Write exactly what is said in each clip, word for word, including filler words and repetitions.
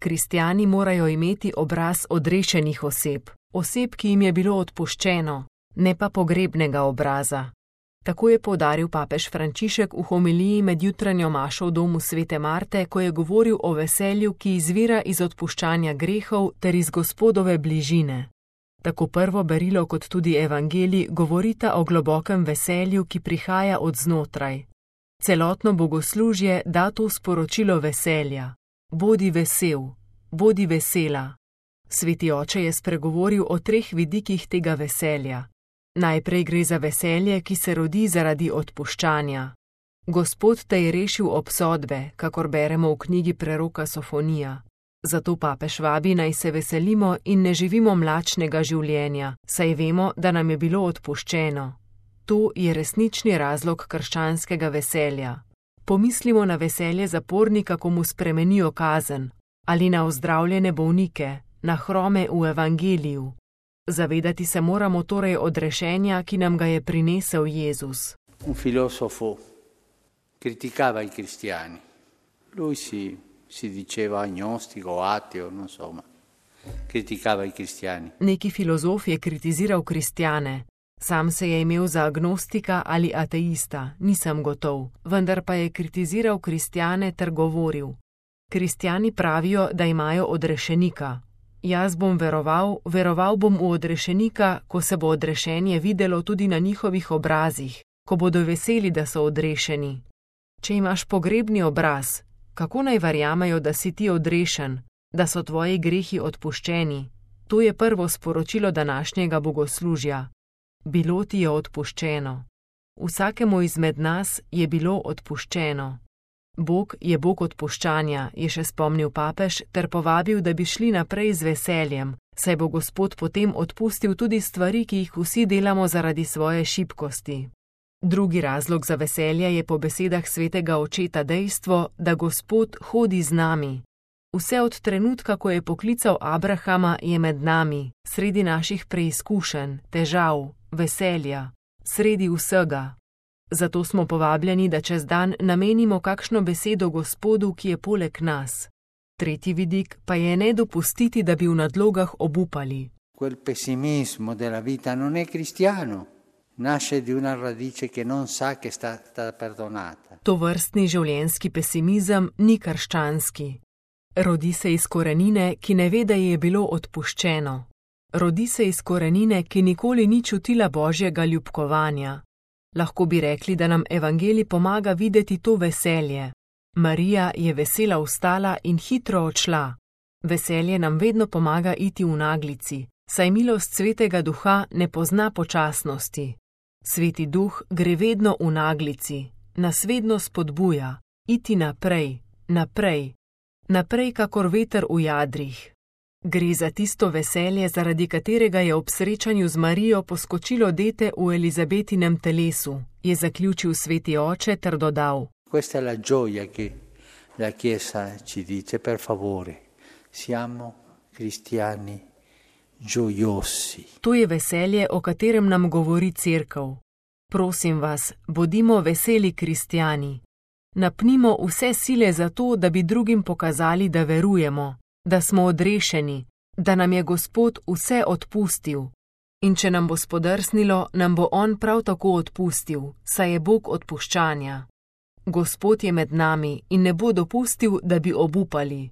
Kristjani morajo imeti obraz odrešenih oseb, oseb, ki jim je bilo odpuščeno, ne pa pogrebnega obraza. Tako je poudaril papež Frančišek v homiliji med jutranjo mašo v domu svete Marte, ko je govoril o veselju, ki izvira iz odpuščanja grehov ter iz Gospodove bližine. Tako prvo berilo kot tudi evangelij govorita o globokem veselju, ki prihaja od znotraj. Celotno bogoslužje da to sporočilo veselja. Bodi vesel, bodi vesela. Sveti oče je spregovoril o treh vidikih tega veselja. Najprej gre za veselje, ki se rodi zaradi odpuščanja. Gospod te je rešil obsodbe, kakor beremo v knjigi preroka Sofonija. Zato papež vabi, naj se veselimo in ne živimo mlačnega življenja, saj vemo, da nam je bilo odpuščeno. To je resnični razlog krščanskega veselja. Pomislimo na veselje zapornika, ko mu spremenijo kazen, ali na ozdravljene bolnike, na hrome v evangeliju. Zavedati se moramo torej odrešenja, ki nam ga je prinesel Jezus. Un filosofo criticava i cristiani. Lui si, si diceva agnostico, ateo, non so, ma criticava i cristiani. Neki filozof je kritiziral kristjane. Sam se je imel za agnostika ali ateista, nisem gotov, vendar pa je kritiziral kristjane ter govoril. Kristjani pravijo, da imajo odrešenika. Jaz bom veroval, veroval bom v odrešenika, ko se bo odrešenje videlo tudi na njihovih obrazih, ko bodo veseli, da so odrešeni. Če imaš pogrebni obraz, kako naj verjamejo, da si ti odrešen, da so tvoji grehi odpuščeni? To je prvo sporočilo današnjega bogoslužja. Bilo ti je odpuščeno. Vsakemu izmed nas je bilo odpuščeno. Bog je Bog odpuščanja, je še spomnil papež, ter povabil, da bi šli naprej z veseljem, saj bo Gospod potem odpustil tudi stvari, ki jih vsi delamo zaradi svoje šibkosti. Drugi razlog za veselje je po besedah svetega očeta dejstvo, da Gospod hodi z nami. Vse od trenutka, ko je poklical Abrahama, je med nami, sredi naših preizkušenj, težav, veselja, sredi vsega. Zato smo povabljeni, da čez dan namenimo kakšno besedo Gospodu, ki je poleg nas. Tretji vidik pa je ne dopustiti, da bi v nadlogah obupali. Quel pessimismo della vita non è cristiano. Nasce di una radice che non sa che sta, sta perdonata. Tovrstni življenjski pesimizem ni krščanski. Rodi se iz korenine, ki ne ve, da je bilo odpuščeno. Rodi se iz korenine, ki nikoli ni čutila Božjega ljubkovanja. Lahko bi rekli, da nam evangelij pomaga videti to veselje. Marija je vesela vstala in hitro odšla. Veselje nam vedno pomaga iti v naglici, saj milost svetega duha ne pozna počasnosti. Sveti duh gre vedno v naglici, nas vedno spodbuja, iti naprej, naprej, naprej kakor veter v jadrih. Gre za tisto veselje, zaradi katerega je ob srečanju z Marijo poskočilo dete v Elizabetinem telesu, je zaključil sveti oče ter dodal. Questa è la gioia che la Chiesa ci dice, per favore, siamo cristiani gioiosi. To je veselje, o katerem nam govori Cerkev. Prosim vas, bodimo veseli kristjani. Napnimo vse sile za to, da bi drugim pokazali, da verujemo, da smo odrešeni, da nam je Gospod vse odpustil. In če nam bo spodrsnilo, nam bo On prav tako odpustil, saj je Bog odpuščanja. Gospod je med nami in ne bo dopustil, da bi obupali.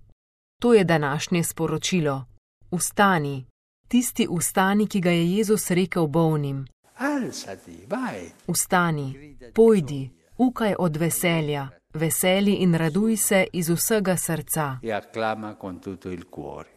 To je današnje sporočilo. Vstani, tisti vstani, ki ga je Jezus rekel bolnim. Alzati, vai. Vstani, pojdi, ukaj od veselja, veseli in raduj se iz vsega srca. E acclama con tutto il cuore.